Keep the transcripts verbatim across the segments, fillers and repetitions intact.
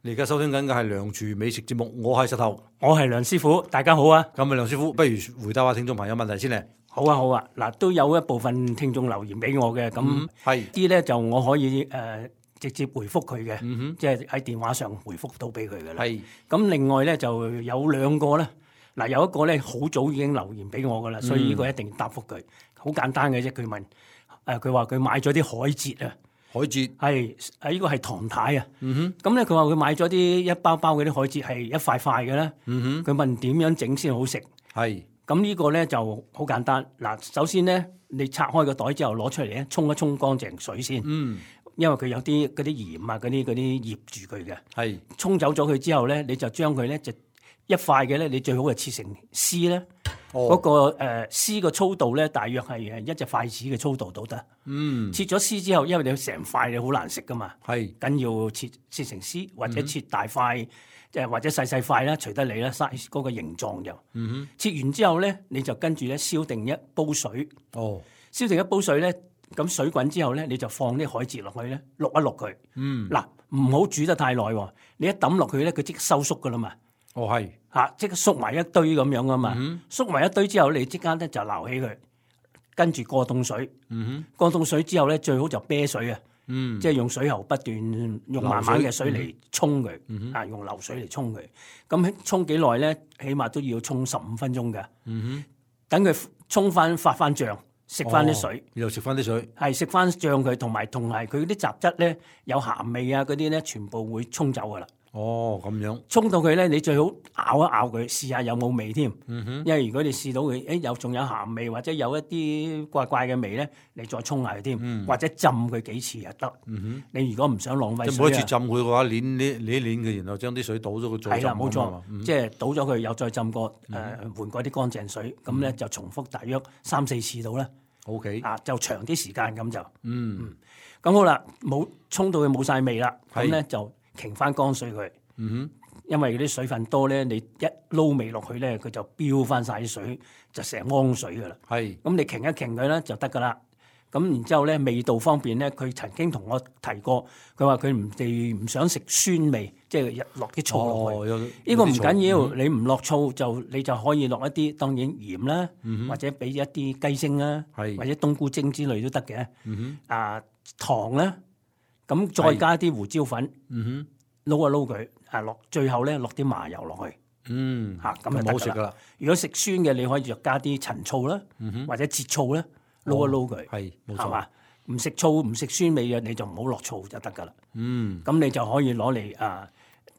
你而家收聽緊嘅係梁廚美食節目，我係石頭，我係梁師傅，大家好啊！咁啊，梁師傅，不如回答下聽眾朋友問題先咧。好啊，好啊，嗱，都有一部分聽眾留言俾我嘅，咁係啲咧就我可以誒、呃、直接回覆佢嘅，嗯哼即係喺電話上回覆到俾佢嘅啦。係咁另外咧就有兩個咧，嗱有一個咧好早已經留言俾我噶啦，所以呢個一定答覆佢。好簡單嘅啫，佢問誒佢話佢買咗啲海蜇啊。海蜇係誒呢個係唐太啊，嗯咁咧佢話佢買咗啲一包包嗰啲海蜇係一塊塊嘅咧，哼，佢問點樣整先好食？係咁呢個咧就好簡單。嗱，首先咧你拆開個袋之後攞出嚟咧，沖一沖乾淨水先，嗯因為佢有啲嗰啲鹽啊嗰啲嗰啲醃住佢嘅。係沖走咗佢之後咧，你就將佢咧就一塊嘅咧，你最好係切成絲咧。嗰、哦個誒絲嘅粗度咧，大約係誒一隻筷子嘅粗度都得。嗯切咗絲之後，因為你成塊你好難食噶嘛。係緊要切切成絲，或者切大塊，即係、或者細細塊啦，隨得你啦，size 嗰個形狀就。嗯哼切完之後咧，你就跟住咧燒定一煲水，哦燒定一煲水咧，咁水滾之後咧，你就放啲海蜇落去咧，淥一淥佢。嗯嗱，唔好煮得太耐喎，你一抌落去咧，佢即刻收縮噶啦嘛，哦係嚇，即刻縮埋一堆咁樣噶嘛。嗯縮埋一堆之後，你即刻咧就撈起佢，跟住過凍水。嗯過凍水之後咧，最好就啤水啊。嗯即係用水喉不斷用慢慢嘅水嚟沖佢，啊用流水嚟沖佢。咁沖幾耐咧？起碼都要沖十五分鐘嘅。嗯等佢沖翻發翻脹，食哼，翻啲水，然後食翻啲水，係食翻脹佢，同埋同埋佢啲雜質咧有鹹味啊嗰啲咧，全部會沖走噶啦。哦咁樣，沖到佢咧，你最好咬一咬佢，試下有冇味添。嗯哼因為如果你試到佢，誒有仲有鹹味或者有一啲怪怪嘅味咧，你再沖下佢添，或者浸佢幾次又得。嗯你如果唔想浪費哼，即係每一次水啊，浸佢嘅話，攣呢攣一攣佢，然後將啲水倒咗佢再浸係啦，冇錯咁啊嘛，嗯即係倒咗佢，又再浸過，誒換過啲乾淨水，咁咧就重複大約三四次到啦， OK，啊就長啲時間咁就。嗯咁好啦，冇沖到佢冇晒味啦，咁係咧就擎翻乾水佢，嗯哼因為嗰啲水分多咧，你一撈味落去咧，佢就飆翻晒啲水，就成缸水噶啦。係咁你擎一擎佢咧就得噶啦。咁然之後咧，味道方面咧，佢曾經同我提過，佢話佢唔哋唔想食酸味，即係落啲醋落去。哦有呢個唔緊要，嗯你唔落醋就你就可以落一啲，當然鹽啦，或者俾一啲雞精啦，嗯係或者冬菇精之類都得嘅。嗯啊糖啦，咁再加啲胡椒粉，哼嗯撈一撈佢，啊落最後咧落啲麻油落去，哼嗯嚇咁就咁得㗎啦。好食噶啦，如果食酸嘅，你可以就加啲陳醋啦，或者節醋啦，撈一撈佢，係冇錯，係嘛？唔食醋唔食酸味嘅，你就唔好落醋就得㗎啦。嗯咁你就可以攞嚟啊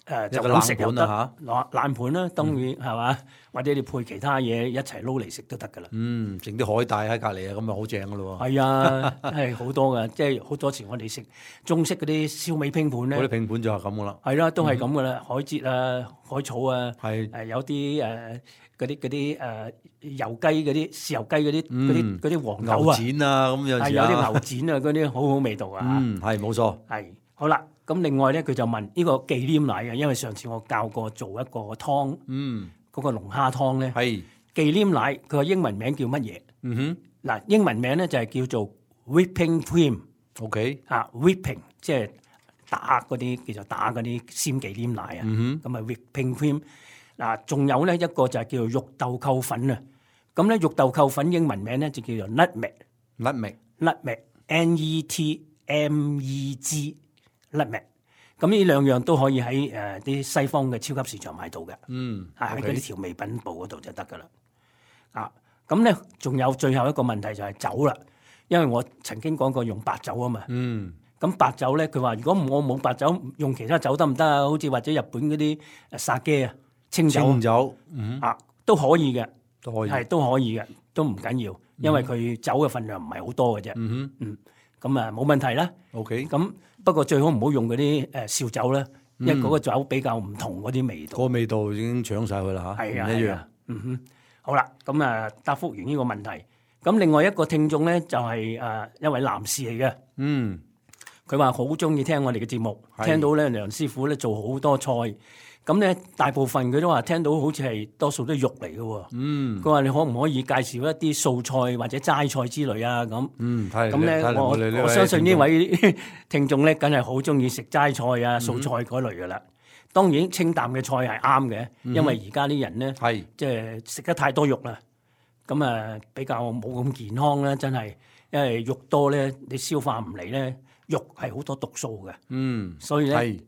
誒就一個咁食又得，冷盤啊攞冷盤啦，當然係嘛，或者你配其他嘢一齊撈嚟食都得㗎啦。嗯，整啲海帶喺隔離啊，咁啊好正噶咯喎，係啊，係好多㗎，即係好多時我哋食中式嗰啲燒味拼盤嗰啲咧，拼盤就係咁噶啦，係啦，都係咁㗎啦，海蜇啊、海草啊，係誒有啲誒嗰啲嗰啲誒油雞嗰啲豉油雞嗰啲嗰啲嗰啲黃牛豆啊，展啊，咁有係時啊有啲牛展啊，嗰啲好好味道啊。嗯係冇錯，係好啦，咁另外咧，佢就問呢個忌廉奶嘅，因為上次我教過做一個湯，嗯嗰個龍蝦湯咧，係，忌廉奶佢個英文名叫乜嘢？嗯哼嗱，英文名咧就係叫做 whipping cream ，OK，啊，whipping 即係打嗰啲叫做打嗰啲鮮忌廉奶啊，嗯咁啊 whipping cream。嗱，仲有咧一個就係叫做肉豆蔻粉啊，咁咧肉豆蔻粉英文名咧就叫做 nutmeg。哼，nutmeg， nutmeg，N E T M E G，nutmeg。咁呢兩樣都可以喺誒啲西方嘅超級市場買到嘅，嗯，啊喺 OK 嗰啲調味品部嗰度就得噶啦。啊，咁咧仲有最後一個問題就係酒啦，因為我曾經講過用白酒啊嘛。嗯咁白酒咧，佢話如果我冇白酒，用其他酒得唔得啊？好似或者日本嗰啲誒殺雞啊、清酒清酒，嗯啊都可以嘅，都可以，係都可以嘅，都唔緊要，因為佢酒嘅份量唔係好多嘅啫。嗯嗯，咁啊冇問題啦。哼，OK，咁不過最好唔好用嗰啲誒燒酒啦，因為嗰個酒比較唔同嗰啲味道。個味道已經搶晒佢啦嚇，係啊，唔一樣係啊，嗯哼，好啦，咁啊答覆完呢個問題。咁另外一個聽眾咧就係誒一位男士嚟嘅，嗯佢話好中意聽我哋嘅節目，係聽到咧梁師傅咧做好多菜，咁咧大部分佢都話聽到好似係多數都係肉嚟嘅喎。嗯佢話你可唔可以介紹一啲素菜或者齋菜之類啊？咁嗯，係咁咧，睇嚟我哋呢我相信呢聽眾位聽眾咧，梗係好中意食齋菜啊、嗯素菜嗰類噶啦。當然清淡嘅菜係啱嘅，因為而家啲人咧，係即係食得太多肉啦，咁啊比較冇咁健康啦，真係，因為肉多咧，你消化唔嚟咧，肉係好多毒素嘅，嗯，所以咧係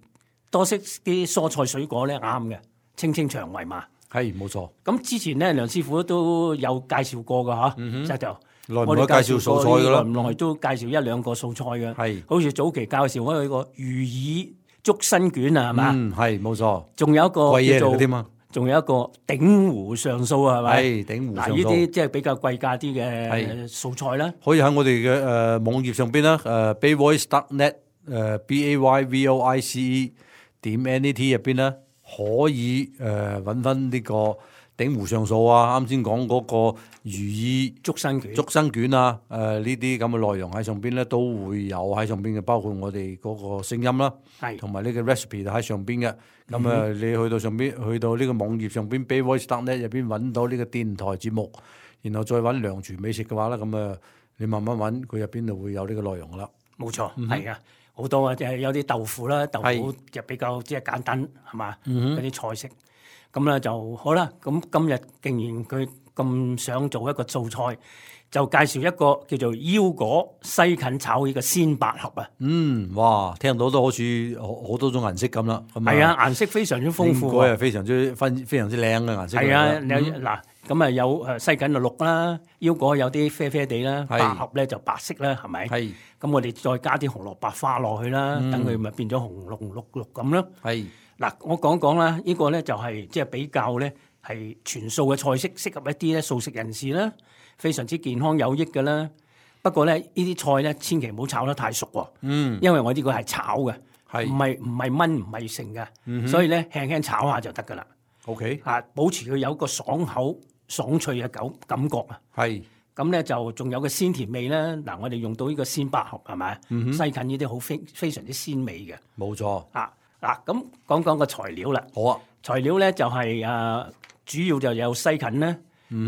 多食啲蔬菜水果咧啱嘅，清清腸胃嘛。係冇錯。咁之前咧，梁師傅都有介紹過噶嚇，嗯就就耐唔我哋耐介紹素菜㗎啦？耐唔耐都介紹一兩個素菜嘅，係好似早期介紹開個魚耳竹身卷啊，係嘛？嗯，係冇錯。仲有一個貴嘢叫做嚟嘅添嘛，仲有一個鼎湖上素啊，係咪？係鼎湖嗱，呢上素啲即係比較貴價啲嘅係素菜啦。可以喺我哋嘅誒網頁上邊啦，誒 bayvoice dot net 誒 b a y v o i c e 點 n e t 入邊咧，可以誒揾翻呢個鼎湖上素啊，啱先講嗰個魚耳竹身卷，竹身卷啊，誒呢啲咁嘅內容喺上邊咧，都會有喺上邊嘅，包括我哋嗰個聲音啦，係同埋呢個 recipe 喺上邊嘅。咁啊，你去到上邊，去到呢個網頁上邊 bayvoice dot net 入邊揾到呢個電台節目，然後再揾良廚美食嘅話咧，咁啊你慢慢揾，佢入邊就會有呢個內容噶啦。冇錯，係啊，好多啊，即係有啲豆腐啦，豆腐係就比較即係簡單，係嘛？嗯嗰啲菜式，咁咧就好啦。咁今日竟然佢咁想做一個素菜，就介紹一個叫做腰果西芹炒呢個鮮百合啊。嗯，哇，聽到都好似好好多種顏色咁啦。咁係啊，顏色非常之豐富應該啊。係非常之分非常之靚嘅顏色嚟㗎。係啊，嗯你嗱咁啊有誒西芹就綠啦，腰果有啲啡啡地啦，係百合咧就白色啦，係咪？係咁我哋再加啲紅蘿蔔花落去啦，嗯等佢咪變咗紅綠綠綠咁咯。係嗱，我講講啦，呢個咧就係即係比較咧係全素嘅菜式，適合一啲咧素食人士啦，非常之健康有益嘅啦。不過咧，呢啲菜咧千祈唔好炒得太熟喎，嗯因為我呢個係炒嘅，係唔係唔係燜唔係成嘅，嗯哼所以咧輕輕炒下就得噶啦。 OK 啊，保持佢有個爽口爽脆嘅感感覺啊。係咁咧就仲有個鮮甜味啦。嗱，我哋用到呢個鮮百合係咪？嗯西芹呢啲好非非常之鮮味嘅。冇錯。啊嗱，咁講講個材料啦。好啊，材料咧就係、誒、主要就有西芹啦。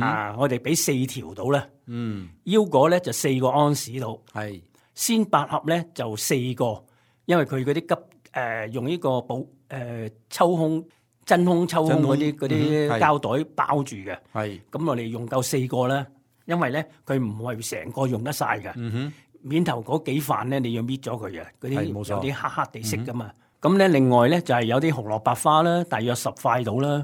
啊，我哋俾四條到啦。嗯腰果咧就四個安士到。係鮮百合咧就四個，因為佢嗰啲急誒、用呢個保誒、抽空真空抽空嗰啲嗰啲嗯係膠袋包住嘅。係咁我哋用夠四個啦，因為咧佢唔係成個用得晒嘅。嗯哼面頭嗰幾瓣咧，你要搣咗佢嘅，嗰啲係冇錯有啲黑黑地色噶嘛。咁咧、另外咧就係、有啲紅蘿蔔花啦，大約十塊到啦。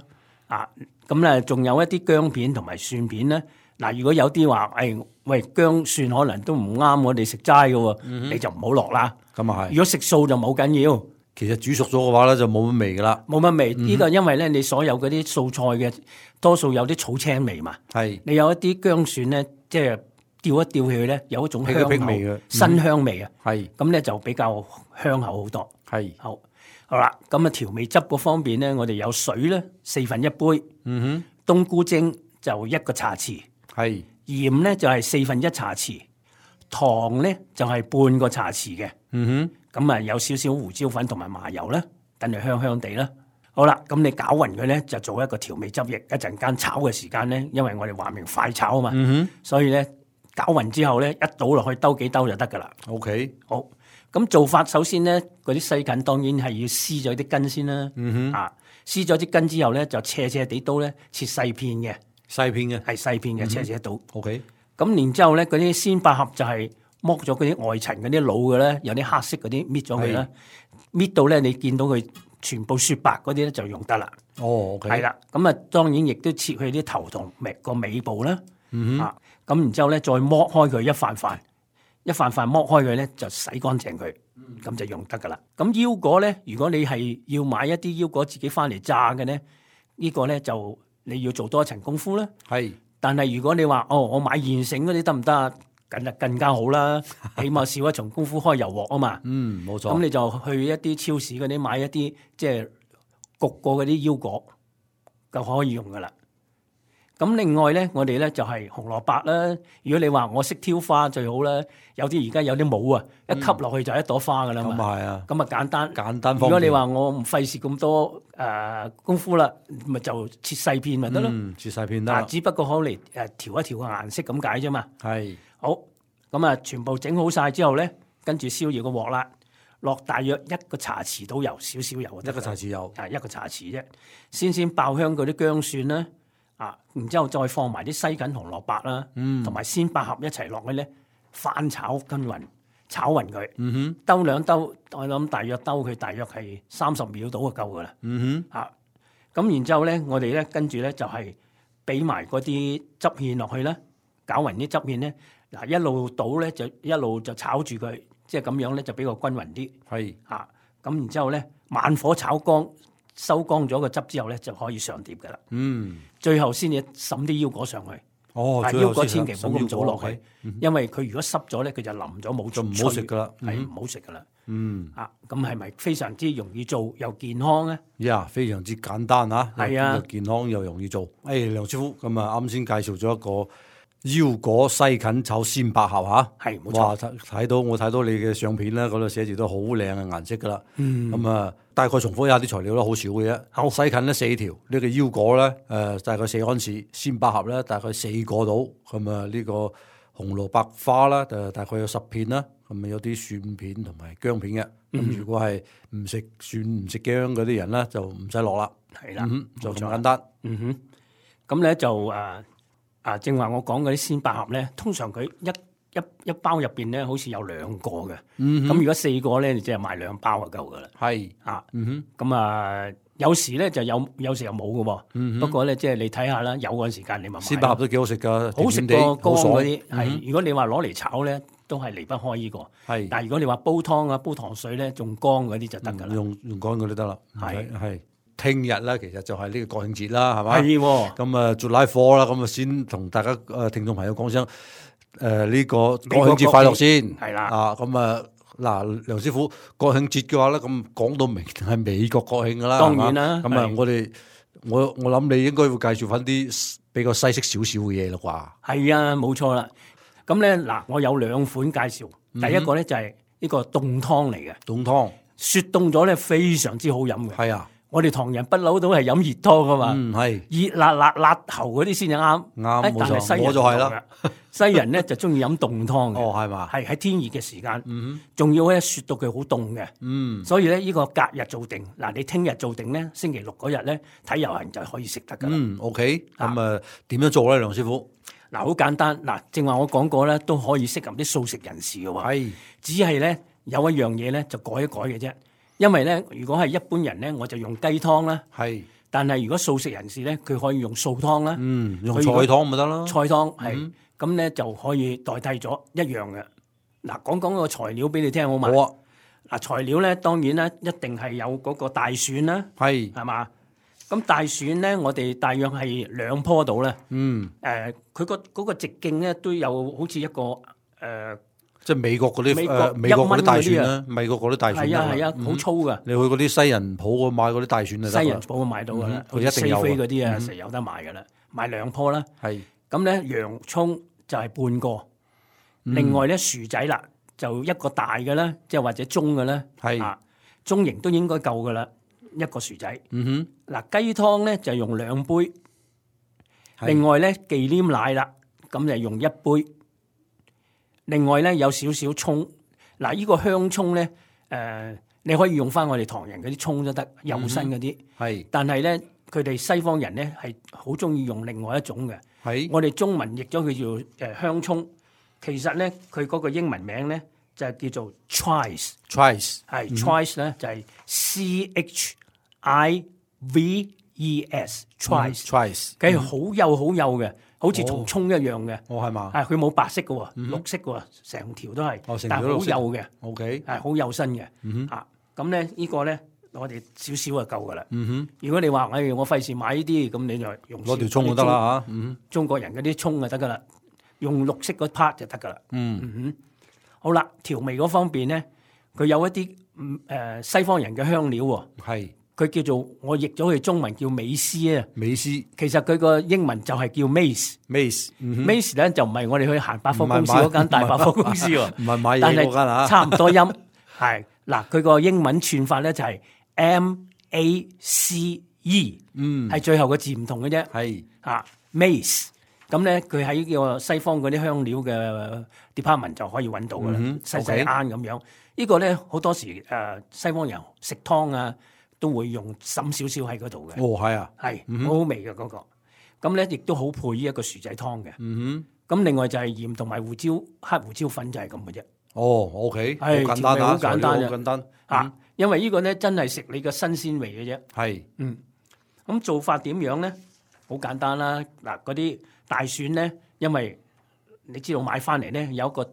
啊，咁咧仲有一啲薑片同埋蒜片咧。嗱，如果有啲話，誒、哎、喂薑蒜可能都唔啱我哋食齋嘅喎，你就唔好落啦。咁啊係。如果食素就冇緊要，其實煮熟咗嘅話咧，就冇乜味噶啦。冇乜味。呢、個因為咧你所有嗰啲素菜嘅多數有啲草青味嘛。係你有一啲薑蒜咧，即係調一調起去咧，有一種香口辟一辟味嘅新香味啊。係咁咧就比較香口好多。係好，好啦，咁啊調味汁嗰方面咧，我哋有水咧四分一杯，嗯冬菇精就一個茶匙，哼係鹽咧就係四分一茶匙，糖咧就係半個茶匙嘅。嗯咁啊有少少胡椒粉同埋麻油啦，等佢香香地啦。好啦，咁你攪勻佢咧，就做一個調味汁液。一陣間炒嘅時間咧，因為我哋話明快炒啊嘛，哼嗯所以咧攪勻之後咧，一倒落去兜幾兜就得噶啦。哼 OK 好，咁做法首先咧，嗰啲西芹當然係要撕咗啲根先啦。嗯哼啊，撕咗啲根之後咧，就斜斜地刀咧切細片嘅，細片嘅係細片嘅斜斜刀。 OK 咁然之後咧，嗰啲鮮百合就係剝咗嗰啲外層嗰啲腦嘅咧，有啲黑色嗰啲搣咗佢啦，搣到咧你見到佢全部雪白嗰啲咧就用得啦。哦 OK 係啦，咁啊當然亦都切佢啲頭同尾個尾部啦。嗯哼啊，咁然之後咧再剝開佢一塊塊，一塊塊剝開佢咧就洗乾淨佢，咁就用得噶啦。咁腰果咧，如果你係要買一啲腰果自己翻嚟炸嘅咧，呢個咧就你要做多一層功夫啦。係但係如果你話哦，我買現成嗰啲得唔得啊？梗係更加好啦，起碼少一重功夫開油鑊啊嘛。嗯冇錯咁你就去一啲超市嗰啲買一啲即係焗過嗰啲腰果，就可以用噶啦。咁另外咧，我哋咧就係紅蘿蔔啦。如果你話我識挑花最好啦，有啲而家有啲帽啊，一吸落去就一朵花噶啦咁嘛。啊係啊，咁啊簡單。簡單方便。如果你話我唔費事咁多誒、呃功夫啦，咪就切細片咪得咯。嗯切細片得啊，啦，只不過可嚟誒調一調個顏色咁解啫嘛。係好，咁啊，全部整好晒之後咧，跟住燒熱個鑊啦，落大約一個茶匙到油，少少油就得㗎啦，一個茶匙油，啊一個茶匙啫，先先爆香嗰啲薑蒜啦，啊，然之後再放埋啲西芹紅蘿蔔啦，同埋鮮百合一齊落去咧，翻炒均勻，炒勻佢，嗯哼，兜兩兜，我諗大約兜佢大約係三十秒到就夠噶啦，嗯哼，啊，咁然之後咧，我哋咧跟住咧就係俾埋嗰啲汁芡落去啦，攪勻啲汁芡咧，嗱一路倒咧就一路就炒住佢，即係咁樣咧就比較均勻啲。係，啊，咁然之後咧，慢火炒乾，收乾咗個汁之後咧，就可以上碟噶啦。嗯，最後先至滲啲腰果上去。哦，但係腰果千祈唔好咁早落去，去，因為佢如果濕咗咧，佢就腍咗冇就唔好食噶啦，係唔好食噶啦。嗯，啊，咁係咪非常之容易做又健康咧？呀，非常之簡單啊，係啊又健康又容易做。誒，梁師傅咁啊，啱先介紹咗一個腰果西芹炒鮮百合嚇，係冇錯。哇！睇睇到我睇到你嘅相片啦，嗰度寫住都好靚嘅顏色噶啦。嗯，咁啊，大概重複一下啲材料啦，好少嘅啫。好，西芹咧四條，呢個腰果咧誒大概四安士，鮮百合咧大概四個到。咁啊呢個紅蘿蔔花啦，誒大概有十片啦。咁啊有啲蒜片同埋薑片嘅。咁、嗯、如果係唔食蒜唔食薑嗰啲人咧，就唔使落啦。係啦、嗯，就咁簡單。嗯哼，咁咧就誒。啊，正話我講嗰啲鮮百合咧，通常佢一一一包入邊咧，好似有兩個嘅。咁、嗯、如果四個咧，你即係買兩包就夠噶啦。係啊，嗯哼，咁啊，有時咧就有，有時又冇嘅喎。嗯、不過咧，即係你睇下啦，有嗰陣時間你咪買。鮮百合都幾好食噶，好食過乾嗰啲。係、嗯，如果你話攞嚟炒咧，都係離不開呢、這個。係，但係如果你話煲湯啊、煲糖水咧，仲乾嗰啲就得㗎啦。用用乾嗰啲得啦。係係。聽日咧，其實就係呢個國慶節啦，係嘛？係喎。咁啊，做拉貨啦，咁啊，先同大家誒聽眾朋友講聲誒呢個國慶節快樂先。係啦。啊，咁啊，嗱，梁師傅，國慶節嘅話咧，咁講到明係美國國慶㗎啦，當然啦。咁啊，我哋我我諗你應該會介紹翻啲比較西式少少嘅嘢啦啩？係啊，冇錯啦。咁咧嗱，我有兩款介紹。第一個咧就係呢個凍湯嚟嘅。凍湯。雪凍咗咧，非常之好飲嘅。係啊。我哋唐人不嬲都係飲熱湯噶嘛，嗯係，熱辣辣辣喉嗰啲先至啱，啱冇錯，我就係啦。西人咧就中意飲凍湯嘅，哦係嘛，係喺天熱嘅時間，嗯仲要咧雪到佢好凍嘅，嗯，所以咧呢個隔日做定，嗱你聽日做定咧，星期六嗰日咧睇遊行就可以食得噶啦。嗯 OK，咁啊點樣做咧，梁師傅？嗱好簡單，嗱正話我講過咧，都可以適合啲素食人士嘅喎，係，只係咧有一樣嘢咧就改一改嘅啫。因為咧，如果係一般人咧，我就用雞湯啦。係，但係如果素食人士咧，佢可以用素湯啦。嗯，用菜湯咪得咯。菜湯係，咁咧、嗯、就可以代替咗一樣嘅。嗱，講講個材料俾你聽好嘛？好啊。嗱，材料咧當然咧一定係有嗰個大蒜啦。係，係嘛？咁大蒜咧，我哋大約係兩棵度咧。嗯。誒、呃，佢個嗰個直徑咧都有好似一個誒。呃即係美國嗰啲美國誒美國嗰啲大蒜啦，美國嗰啲大蒜係啊係啊，好粗噶。你去嗰啲西人鋪嗰買嗰啲大蒜就得啦。西人鋪買到噶啦，佢一定有西非嗰啲啊，實有得賣噶啦。買兩棵啦。係。咁咧洋葱就係半個，另外咧薯仔啦就一個大嘅啦，即係或者中嘅啦。係。啊，中型都應該夠噶啦，一個薯仔。嗯哼。嗱雞湯咧就用兩杯，另外咧忌廉奶啦，咁就用一杯。另外咧有少少蔥，嗱、這、呢個香葱咧，誒、呃、你可以用翻我哋唐人嗰啲葱都得，幼身嗰啲。係、嗯，但係咧佢哋西方人咧係好中意用另外一種嘅。係，我哋中文譯咗佢叫誒香葱，其實咧佢嗰個英文名咧就係叫做 chives，chives 係 chives 咧就係 C H I V E S，chives，chives 佢係好幼好幼嘅。好似同葱一樣嘅，哦係嘛？係佢冇白色嘅喎，嗯、綠色嘅喎，成條都係，哦、但係好幼嘅。O K， 係好幼身嘅。嗯、啊，咁咧呢個咧，我哋少少就夠噶啦。嗯哼，如果你話誒我費事買呢啲，咁你就用攞條葱就得啦嚇。嗯，中國人嗰啲葱就得噶啦，用綠色嗰 part 就得噶啦。嗯嗯哼，好啦，調味嗰方面咧，佢有一啲誒、呃、西方人嘅香料喎。係。佢叫做我譯咗佢中文叫美斯啊，美斯其實佢個英文就係叫 mace，mace，mace 咧就唔係我哋去行百貨公司嗰間大百貨公司喎，唔係買嘢嗰間啊，差唔多音係嗱，佢個英文串法咧就係 M A C E， 嗯，係最後個字唔同嘅啫，係啊 mace，咁咧佢喺呢個西方嗰啲香料嘅 department 就可以揾到噶啦，細細啱咁樣。呢個咧好多時誒、呃、西方人食湯啊都會用滲少少喺嗰度嘅。哦，係啊，係嗯哼好好味嘅嗰、個。咁咧亦都好配呢一個薯仔湯嘅。嗯咁另外就係鹽同埋胡椒黑胡椒粉就係咁嘅啫。哼，哦，OK，好係簡單啊，調味好簡單材料嘅好簡單，啊，因為呢個咧真係食你嘅新鮮味嘅啫。係，嗯，咁做法點樣咧？好簡單啦。嗱，嗰啲大蒜咧，因為你知道買翻嚟咧有一個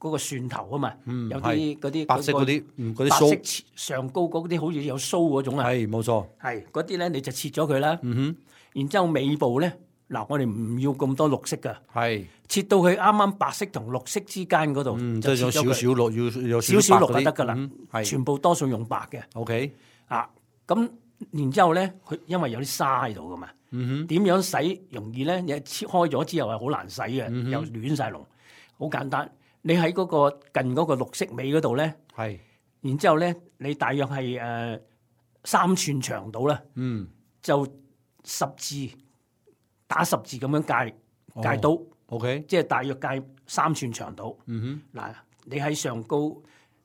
嗰、個蒜頭啊嘛，嗯有啲嗰啲白色嗰啲，嗯，嗰啲白色鬚，切上高嗰啲好似有鬚嗰種啊，係冇錯，係嗰啲咧你就切咗佢啦。嗯哼，然之後尾部咧，嗱我哋唔要咁多綠色噶，係，切到佢啱啱白色同綠色之間嗰度，嗯，即係有就切咗佢少少綠，要有少少綠白嗰啲就得噶啦嗯，係全部多數用白嘅。 ，OK，啊，咁然之後咧，佢因為有啲沙喺度噶嘛，嗯點樣洗容易咧？你切開咗之後係好難洗嘅，嗯哼又亂晒龍。好簡單，你喺嗰個近嗰個綠色尾嗰度咧，哼，係，然之後咧，你大約係誒、呃、三寸長度啦，嗯就十字打十字咁樣界哦界刀， ，OK，即係大約界三寸長度。嗯嗱，你喺上高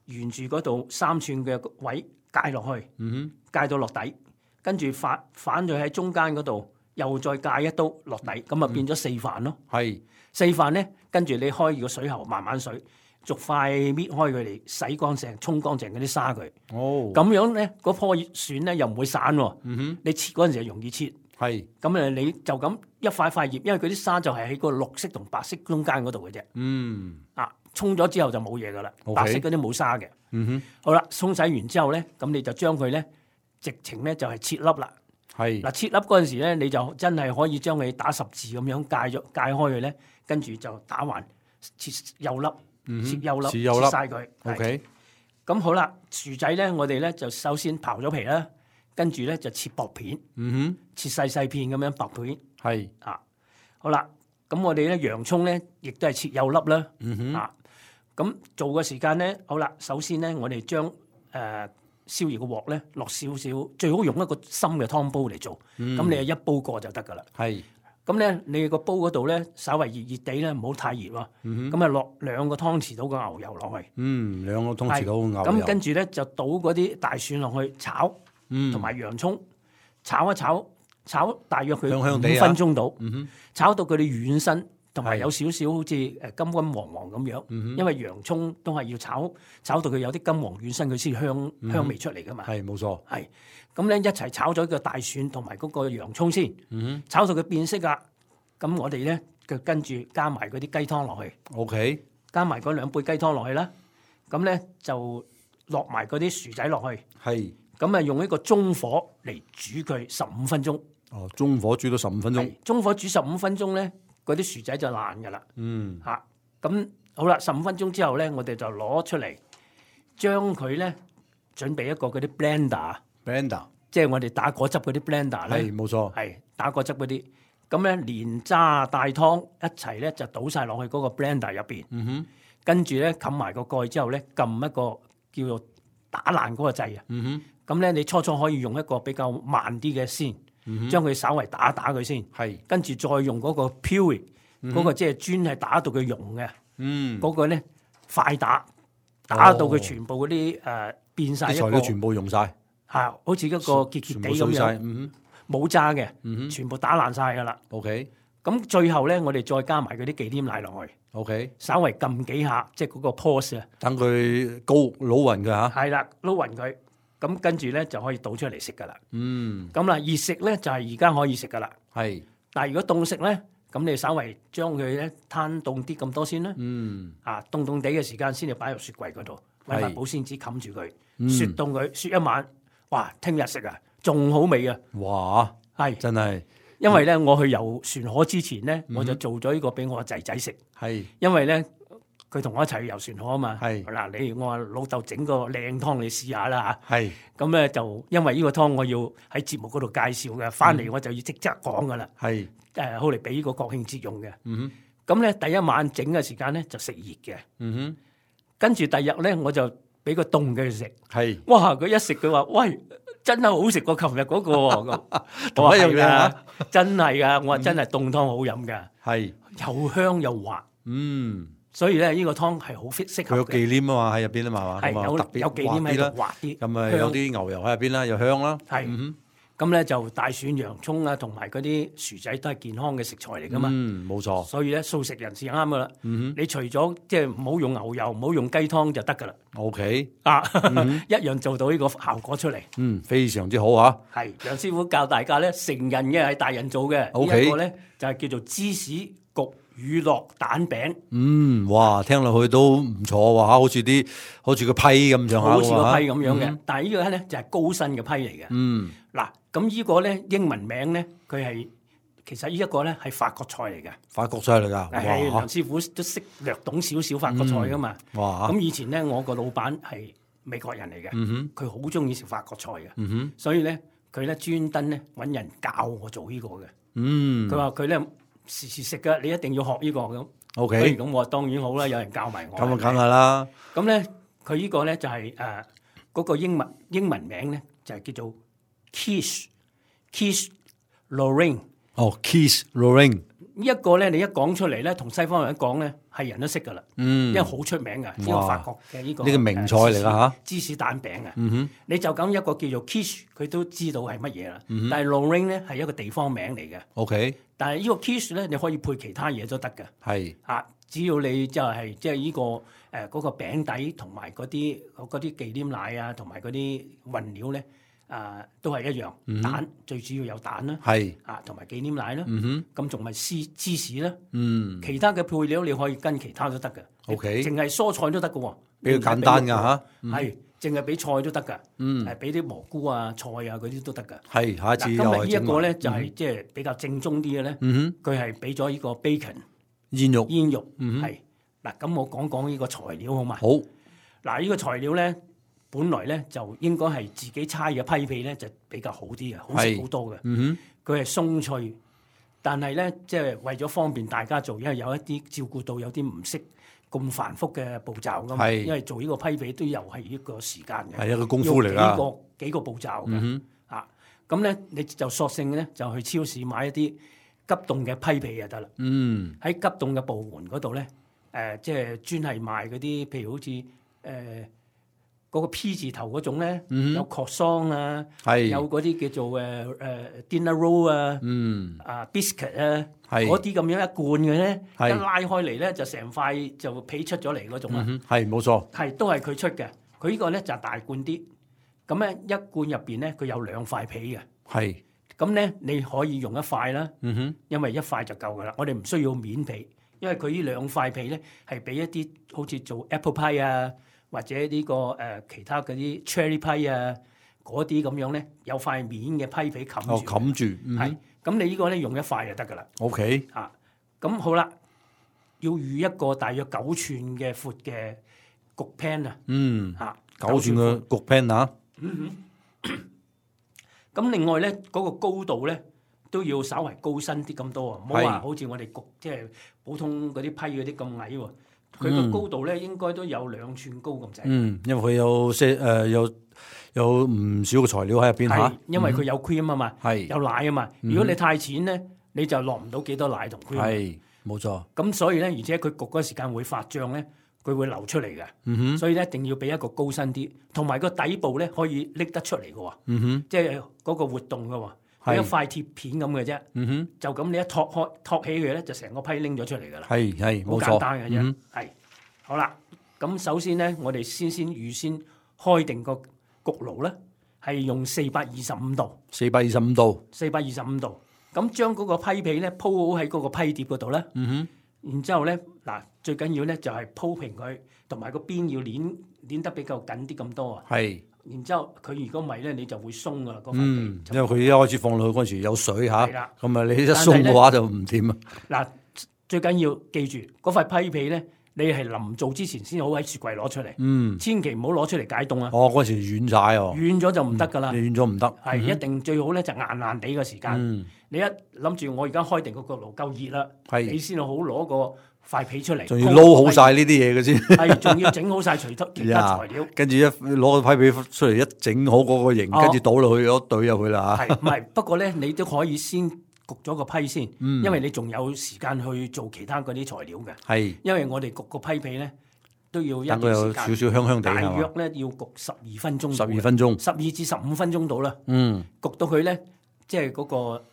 沿住嗰度三寸嘅位界落去。哼，嗯界到落底，跟住反反咗喺中間嗰度，又再界一刀落底，咁啊變咗四瓣咯。哼，係，四瓣咧，跟住你開個水喉，慢慢水，逐塊搣開佢嚟，洗乾淨、沖乾淨嗰啲沙佢。哦，咁樣咧，嗰棵蒜咧又唔會散喎。嗯哼，你切嗰陣時就容易切。係，咁誒，你就咁一塊塊葉，因為佢啲沙就係喺個綠色同白色中間嗰度嘅啫。嗯，啊，沖咗之後就冇嘢噶啦， OK 白色嗰啲冇沙嘅。嗯哼，好啦，沖洗完之後咧，咁你就將佢咧直情咧就係切粒啦。係，嗱，切粒嗰陣時咧，你就真係可以將佢打十字咁樣界咗界開佢咧，跟住就打橫切幼粒，嗯哼切幼粒，切幼粒晒佢。係，OK，咁好啦，薯仔咧，我哋咧就首先刨咗皮啦，跟住咧就切薄片，嗯切細細片咁樣薄片哼，係，啊。好啦，咁我哋咧洋葱咧，亦都係切幼粒啦。嗯哼，啊，咁做嘅時間咧，好啦，首先咧，我哋將誒、呃、燒熱個鑊咧，落少少，最好用一個深嘅湯煲嚟做，咁、嗯你係一煲過就得噶啦。係，咁咧，你個煲嗰度咧，稍微熱熱地咧，唔好太熱喎。咁啊，落兩個湯匙到個牛油落去，嗯，兩個湯匙到牛油，咁跟住咧就倒嗰啲大蒜落去炒，嗯同埋洋葱炒一炒，炒大約佢香香地啊五分鐘到，嗯哼，炒到佢哋軟身，同埋係有少少好似誒金金黃黃咁樣。嗯因為洋葱都係要炒炒到佢有啲金黃軟身，佢先香香味出嚟噶嘛。係冇錯，係咁咧，一齊炒咗個大蒜同埋嗰個洋葱先，嗯炒到佢變色啦。咁我哋咧就跟住加埋嗰啲雞湯落去，哼，OK，加埋嗰兩杯雞湯落去啦。咁咧就落埋嗰啲薯仔落去，係，咁啊用一個中火嚟煮佢十五分鐘。哦，中火煮到十五分鐘，係中火煮十五分鐘咧，嗰啲薯仔就爛噶啦。嗯，嚇咁好啦，十五分鐘之後咧，我哋就攞出嚟，將佢咧準備一個嗰啲 blender， blender，即係我哋打果汁嗰啲 blender 咧，係冇錯，係打果汁嗰啲。咁咧連渣帶湯一齊咧就倒晒落去嗰個 blender 入邊，嗯哼，跟住咧冚埋個蓋之後咧，撳一個叫做打爛嗰個掣啊。嗯咁咧你初初可以用一個比較慢啲嘅先，哼，將佢稍微打打佢先，係，跟住再用嗰個 puree 嗰個即係專係打到佢溶嘅。嗯，嗰個咧快打，打到佢全部嗰啲誒變晒一個啲材料全部用晒，嚇，好似一個結結地咁全部碎晒，樣，嗯冇渣嘅，嗯哼全部打爛晒噶啦。哼，OK，咁最後咧，我哋再加埋嗰啲忌廉奶落去， OK，稍微撳幾下，即係嗰個 pause 啊，等佢高老暈嘅嚇，係啦，撈勻佢，咁跟住咧就可以倒出嚟食噶啦。嗯，咁啦，熱食咧就係而家可以食噶啦，係，但係如果凍食咧，咁你稍微將佢咧攤凍啲咁多先啦。嗯，啊，凍凍地嘅時間先至擺入雪櫃嗰度，揾埋係保鮮紙冚住佢，嗯雪凍佢，雪一晚，哇！聽日食啊，仲好味啊！哇，係，真係，因為咧我去遊船河之前咧，嗯我就做咗呢個俾我仔仔食，係，因為咧佢同我一齊去遊船河啊嘛。係嗱，你我話老豆整個靚湯你試下啦嚇。係，咁咧就因為呢個湯我要喺節目嗰度介紹嘅，翻嗯嚟我就要即刻講噶啦。係，誒，好嚟俾呢個國慶節用嘅。嗯哼，咁咧第一晚整嘅時間咧就食熱嘅，嗯跟住第日咧我就俾個凍嘅佢食。哼，係，哇！佢一食佢話：喂，真係好食過琴日嗰個喎。咁同一樣嘢我話係啊啊，真係噶。我話真係凍湯好飲噶，係，又香又滑，嗯，所以咧呢個湯係好適適佢有合嘅。忌廉啊嘛喺入邊啊嘛，係有咁啊特別有忌廉喺滑啲啦度，滑啲，咁啊香有啲牛油喺入邊啦，又香啦。係嗯咁咧就大蒜、洋葱啊，同埋嗰啲薯仔都係健康嘅食材嚟噶嘛。嗯，冇錯。所以咧素食人士啱噶啦。嗯你除咗即係唔好用牛油，唔好用雞湯就得噶啦。哼，OK，啊，一樣做到呢個效果出嚟。嗯，非常之好啊。係楊師傅教大家咧，成人嘅係大人做嘅。 OK 呢一個咧就係叫做芝士焗乳酪蛋餅，嗯，哇，聽落去都唔錯喎嚇，好似啲好似個批咁上下好似個批喎嚇咁樣嘅。但係呢個咧就係高身嘅批嚟嘅。嗯，嗱，咁呢個咧英文名咧，佢係其實呢一個咧係法國菜嚟嘅。法國菜嚟㗎，係哇梁師傅都識略懂少少法國菜噶嘛。哇，咁以前咧，我個老闆係美國人嚟嘅，嗯佢好中意食法國菜嘅，嗯哼，所以咧佢咧專登咧揾人教我做呢個嘅。嗯佢話佢咧時時食嘅，你一定要學呢個咁。 ，OK，所以咁我話當然好啦，有人教埋我。咁啊，梗係啦，咁咧，佢呢個咧就係誒嗰個英文英文名咧就係叫做 Quiche Quiche Lorraine。哦，Quiche Lorraine，呢一個咧，你一講出嚟咧，同西方人一講咧，係人都識噶啦，嗯，因為好出名嘅呢個法國嘅呢個呢個名菜嚟㗎嚇，芝士蛋餅啊。嗯哼，你就咁一個叫做 quiche，佢都知道係乜嘢啦。嗯但係 Lorraine 咧係一個地方名嚟嘅， ，OK，但係呢個 quiche 咧你可以配其他嘢都得嘅。係，啊，只要你就係即係呢個誒嗰個餅底同埋嗰啲嗰啲忌廉奶啊，同埋嗰啲混料咧，啊都係一樣。蛋最主要有蛋啦，係，啊同埋忌廉奶啦，嗯哼，咁仲咪芝芝士啦，嗯其他嘅配料你可以跟其他都得嘅。 OK 淨係蔬菜都得嘅喎，比較簡單㗎嚇，係淨係俾菜都得㗎，嗯誒俾啲蘑菇啊、菜啊嗰啲都得㗎。係，下一次嗱，又今日呢一係整埋個咧就係即係比較正宗啲嘅咧，嗯佢係俾咗呢個 bacon 哼，煙肉，煙肉，嗯哼係嗱咁我講講呢個材料好嘛？好，嗱呢個材料咧，本來咧就應該係自己猜嘅批皮咧就比較好啲嘅，好食係好多嘅。嗯佢係鬆脆，但係咧即係為咗方便大家做，因為有一啲照顧到有啲唔識咁繁複嘅步驟㗎嘛，係因為做呢個批皮都又係一個時間嘅，哼，係一個功夫嚟㗎，要幾個幾個步驟嘅。嗯啊，咁咧你就索性咧就去超市買一啲急凍嘅批皮就得啦。哼，嗯，喺急凍嘅部門嗰度咧，誒、即係專係賣嗰啲，譬如好似誒嗰個 P 字頭嗰種咧，嗯有 croissant 啊，係，有嗰啲叫做誒誒、dinner roll 啊，嗯，啊 biscuit 啊，係嗰啲咁樣一罐嘅咧，一係拉開嚟咧就成塊就皮出咗嚟嗰種啊，嗯哼，係冇錯，係、都係佢出嘅。佢呢個咧就大罐啲，咁咧一罐入邊咧佢有兩塊皮嘅，係，咁咧你可以用一塊啦。嗯哼，因為一塊就夠噶啦，我哋唔需要面皮，因為佢呢兩塊皮咧係俾一啲好似做 apple pie 啊，或者呢、個誒、呃其他嗰啲 cherry pie 啊嗰啲咁樣咧，有塊面嘅批皮冚哦，住，冚住，嗯係哼咁你呢個咧用一塊就得噶啦， ，OK，啊咁好啦，要預一個大約九寸嘅闊嘅焗 pan 啊，嗯，嚇九寸嘅焗 pan 啊，咁另外咧嗰、個高度咧都要稍為高身啲咁多啊，唔好話係好似我哋焗即係普通嗰啲批嗰啲咁矮喎。佢個高度咧應該都有兩寸高咁滯，嗯，因為佢有些誒有有唔少嘅材料喺入邊係、嚇，因為佢有 cream 啊嘛，係有奶啊嘛。如果你太淺咧，你就落唔到幾多奶同 cream。係冇錯，咁所以咧，而且佢焗嗰時間會發脹咧，佢會流出嚟嘅。嗯哼，所以咧一定要俾一個高身啲，同埋個底部咧可以拎得出嚟嘅喎，嗯哼，即係嗰個活動嘅喎。係係一塊鐵片咁嘅啫，嗯哼，就咁你一托開托起佢咧，就成個批拎咗出嚟㗎啦，係係好冇錯，簡單嘅啫嗯。係、好啦，咁首先咧，我哋先先預先開定個焗爐咧，係用四百二十五度，四百二十五度，四百二十五度，咁將嗰個批皮咧鋪好喺嗰個批碟嗰度咧，嗯然之後咧嗱，最緊要咧就係鋪平佢，同埋個邊要攣攣得比較緊啲咁多啊。哼，係，然之後佢如果唔係咧，你就會鬆㗎啦，嗰塊嗯，皮。因為佢一開始放落去嗰陣時有水嚇，係啦咁啊你一鬆嘅話就唔掂啊，嗱，最緊要記住嗰塊批皮咧，你係臨做之前先好喺雪櫃攞出嚟，嗯，千祈唔好攞出嚟解凍啊！哦嗰陣時軟晒喎，軟咗就唔得㗎啦，你軟咗唔得，係一定最好咧就硬硬地嘅時間。嗯，你一諗住我而家開定個焗爐夠熱啦，係你先好攞個塊皮出嚟，仲要撈好晒呢啲嘢嘅先。係仲要整好晒其他其他呀材料。跟住一攞個批皮出嚟，一整好嗰個形，哦跟住倒落去，攞懟入去啦嚇。係唔係？不過咧，你都可以先焗咗個批先，嗯因為你仲有時間去做其他嗰啲材料嘅。係因為我哋焗個批皮咧都要一段等佢有時間，少少香香地大係嘛？約咧要焗十二分鐘，十二分鐘，十二至十五分鐘到啦。嗯，焗到佢咧，即係嗰個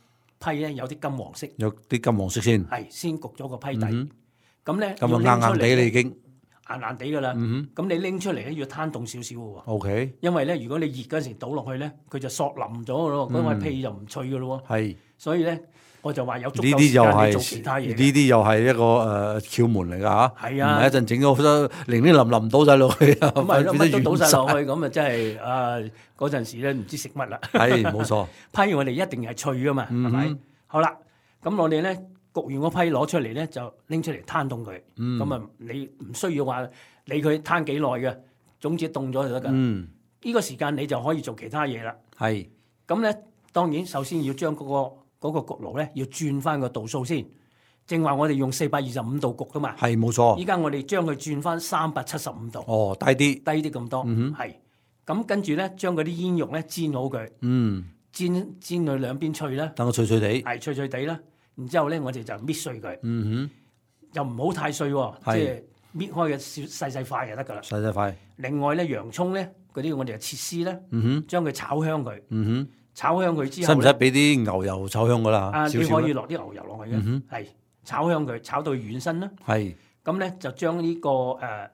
批咧有啲金黃色，有啲金黃色先，係先焗咗個批底。嗯咁咧咁啊硬硬地你已經硬硬地噶啦。嗯咁你拎出嚟咧要攤凍少少嘅喎， ，OK，因為咧如果你熱嗰陣時倒落去咧，佢就索腍咗嘅咯，嗰塊皮就唔脆嘅咯喎。係所以咧我就話有足呢夠時間你啲又係做其他嘢嘅。呢啲又係一個誒竅門嚟㗎嚇，係啊唔係一陣整咗好多零零淋淋倒晒落去啊，咁咪咯，乜都倒晒落去，去，咁啊真係啊嗰陣時咧唔知食乜啦。係冇錯，批我哋一定係脆噶嘛，係咪、嗯好啦，咁我哋咧焗完個批攞出嚟咧，就拎出嚟攤凍佢。嗯咁啊、你唔需要話理佢攤幾耐嘅，總之凍咗就得㗎。呢、嗯，個時間你就可以做其他嘢啦。係咁咧當然首先要將嗰、個嗰、個焗爐咧要轉翻個度數先。正話我哋用四百二十五度焗噶嘛，係冇錯，依家我哋將佢轉翻三百七十五度，哦低啲，低啲咁多，嗯係。咁跟住咧將嗰啲煙肉咧煎好佢，嗯，煎煎佢兩邊脆啦。等佢脆脆地，係脆脆地啦，然之後咧我哋就搣碎佢，嗯又唔好太碎喎，即係係搣開嘅小細細塊就得㗎啦哼，。細細塊，另外咧洋葱咧嗰啲我哋就切絲啦，嗯哼，將佢炒香佢，嗯炒香佢之哼，使後呢唔使俾啲牛油炒香㗎啦？啊，你少少啦，可以落啲牛油落去嘅，嗯哼係炒香佢，炒到佢軟身啦。係，咁咧就將呢、個誒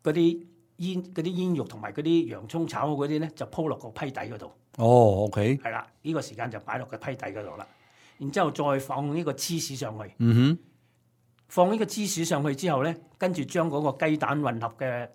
嗰啲煙嗰啲煙肉同埋嗰啲洋葱炒好嗰啲咧，就鋪落個批底嗰度。哦，OK，係啦，呢、個時間就擺落個批底嗰度啦。然之後再放呢個芝士上去。嗯放呢個芝士上去之後咧，跟住將嗰個雞蛋混合嘅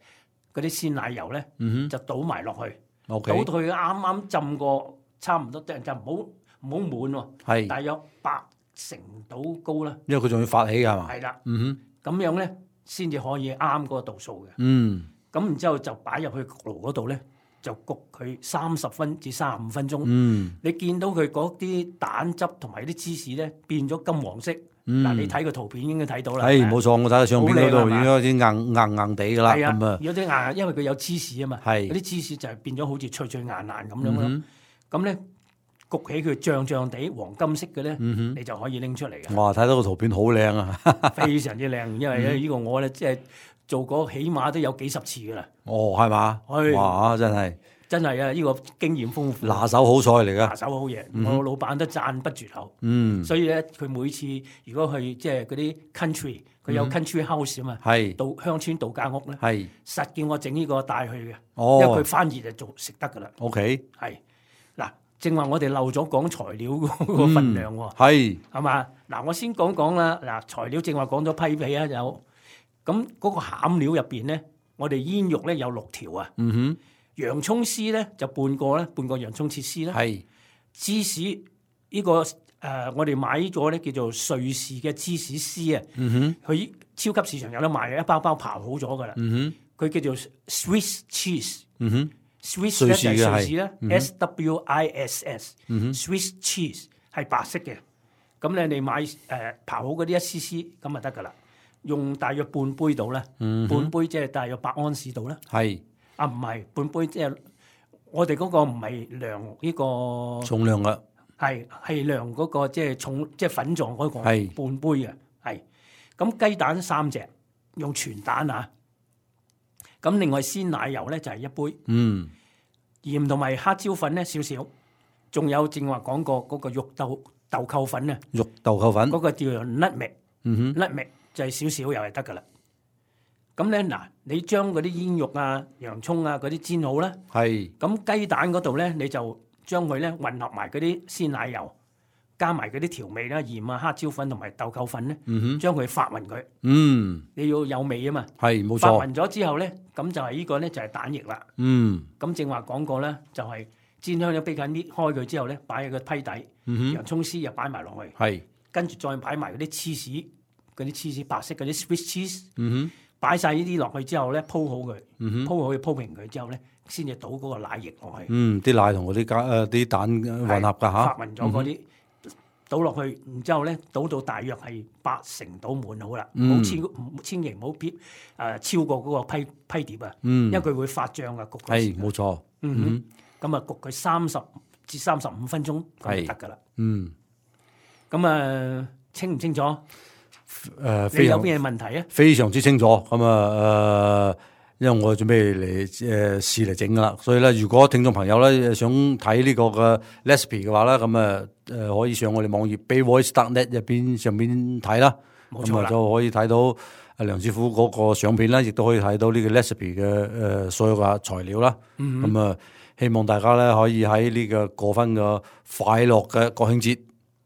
嗰啲鮮奶油咧，哼，嗯就倒埋落去，哼倒到，OK，佢啱啱浸過差唔多，就就唔好唔好滿喎，係，大約八成到高啦，因為佢仲要發起㗎係嘛？係啦，嗯哼，咁樣咧先至可以啱嗰個度數嘅。嗯，咁然之後就擺入去焗爐嗰度咧，就焗佢三十分至三十五分鐘。嗯，你見到佢嗰啲蛋汁同埋啲芝士咧變咗金黃色，嗱、嗯你睇個圖片應該睇到啦。係冇錯，我睇到相片嗰度好靚係嘛已經開始硬硬硬地㗎啦，係啊咁啊，，有啲硬，因為佢有芝士啊嘛，係嗰啲芝士就係變咗好似脆脆硬硬咁樣咯。嗯咁咧、焗起佢脹脹地黃金色嘅咧，嗯哼，你就可以拎出嚟嘅，哇！睇到個圖片好靚啊！非常之靚。因為嗯咧呢個我咧即係做過起碼都有幾十次噶啦，哦，係嘛？係哇！真係真係啊！呢、個經驗豐富，拿手好菜嚟拿噶。手好嘢，嗯哼我老闆都讚不絕口。嗯，所以咧，佢每次如果去即係嗰啲 country，佢有 country house 啊嘛，係度鄉村度假屋咧，係實叫我整呢個帶去嘅，因為哦佢翻熱就做食得噶啦。 ，OK，係嗱，正話我哋漏咗講材料嗰個份量喎，係係嘛？嗱，我先講講啦。嗱，材料正話講咗批皮啊，有咁嗰個餡料入邊咧，我哋煙肉咧有六條啊，嗯洋葱絲咧就半個啦，半個洋葱切絲哼，啦，係芝士呢、個誒、呃我哋買咗咧叫做瑞士嘅芝士絲啊，嗯哼，佢超級市場有得賣嘅，一包包刨好咗噶啦，嗯佢叫做 Swiss cheese。哼，嗯哼， Swiss 瑞咧就係士嘅係瑞士咧嗯哼，S W I S S，Swiss 嗯哼 cheese 係白色嘅。咁咧你買誒、呃、刨好嗰啲一絲絲咁就得噶啦，用大約半杯度啦，嗯哼，半杯即係大約百安士度啦。係啊唔係半杯即係我哋嗰個唔係量呢、個重量噶，係係量嗰個即係重即係粉狀嗰個係半杯嘅係。咁雞蛋三隻，用全蛋啊。咁另外鮮奶油咧就係、一杯。嗯鹽同埋黑椒粉咧少少，仲有正話講過嗰個肉豆豆蔻粉啊，肉豆蔻粉嗰、，個叫做 nutmeg，nutmeg 嗯哼，就係少少又係得噶啦。咁咧嗱，你將嗰啲煙肉啊、洋葱啊嗰啲煎好啦，係咁雞蛋嗰度咧你就將佢咧混合埋嗰啲鮮奶油，加埋嗰啲調味啦、鹽啊、黑椒粉同埋豆蔻粉咧，嗯哼，將佢發勻佢，嗯你要有味啊嘛。係冇錯，發勻咗之後咧，咁就係呢個咧就係蛋液啦。嗯咁正話講過咧，就係、煎香咗啤緊搣開佢之後咧，擺喺個批底，嗯哼，洋葱絲又擺埋落去，係跟住再擺埋嗰啲芝士，嗰啲芝士白色嗰啲 Swiss cheese，嗯擺晒呢啲落去之後咧，鋪好佢，哼，嗯哼，鋪好佢鋪平佢之後咧，先至倒嗰個奶液落去，嗯啲奶同嗰啲加誒啲蛋混合㗎嚇，發勻咗嗰啲。倒落去，然之後咧倒到大約係八成倒滿好啦，唔好嗯超唔千祈唔好撇誒超過嗰個批批碟啊，嗯因為佢會發脹啊焗嗰時係冇錯，嗯哼，咁啊焗佢三十至三十五分鐘咁就得㗎啦。嗯咁啊，清唔清楚？誒、呃，你非常有咩問題啊？非常之清楚。咁啊誒，因為我準備嚟誒試嚟整噶啦，所以咧，如果聽眾朋友咧想睇呢個嘅 recipe 嘅話咧，咁啊誒可以上我哋網頁 bayvoice dot net 入邊上邊睇啦。咁啊就可以睇到阿梁師傅嗰個相片啦，亦都可以睇到呢個 recipe 嘅誒所有嘅材料啦。咁、嗯、啊，希望大家咧可以喺呢個過分嘅快樂嘅國慶節。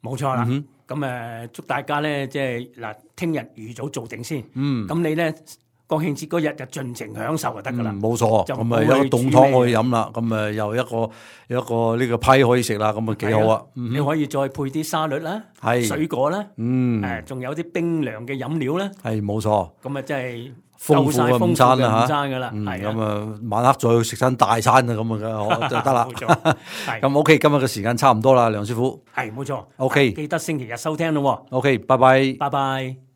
冇錯啦。嗯咁誒，祝大家咧即係嗱，聽日預早做定先。嗯。咁你咧國慶節嗰日就盡情享受就得噶啦。冇、嗯、錯。咁啊有個凍湯可以飲啦，咁啊又一個有一個呢個批可以食啦，咁啊幾好啊！你可以再配啲沙律啦，水果啦，嗯，誒仲有啲冰涼嘅飲料啦。係冇錯。咁啊真係豐富嘅午餐啦嚇，午餐噶啦，係咁啊晚黑再食餐大餐啊咁啊就得啦。冇錯。係。咁 OK，今日嘅時間差唔多啦，梁師傅。係冇錯。OK，記得星期日收聽咯。OK，拜拜。拜拜。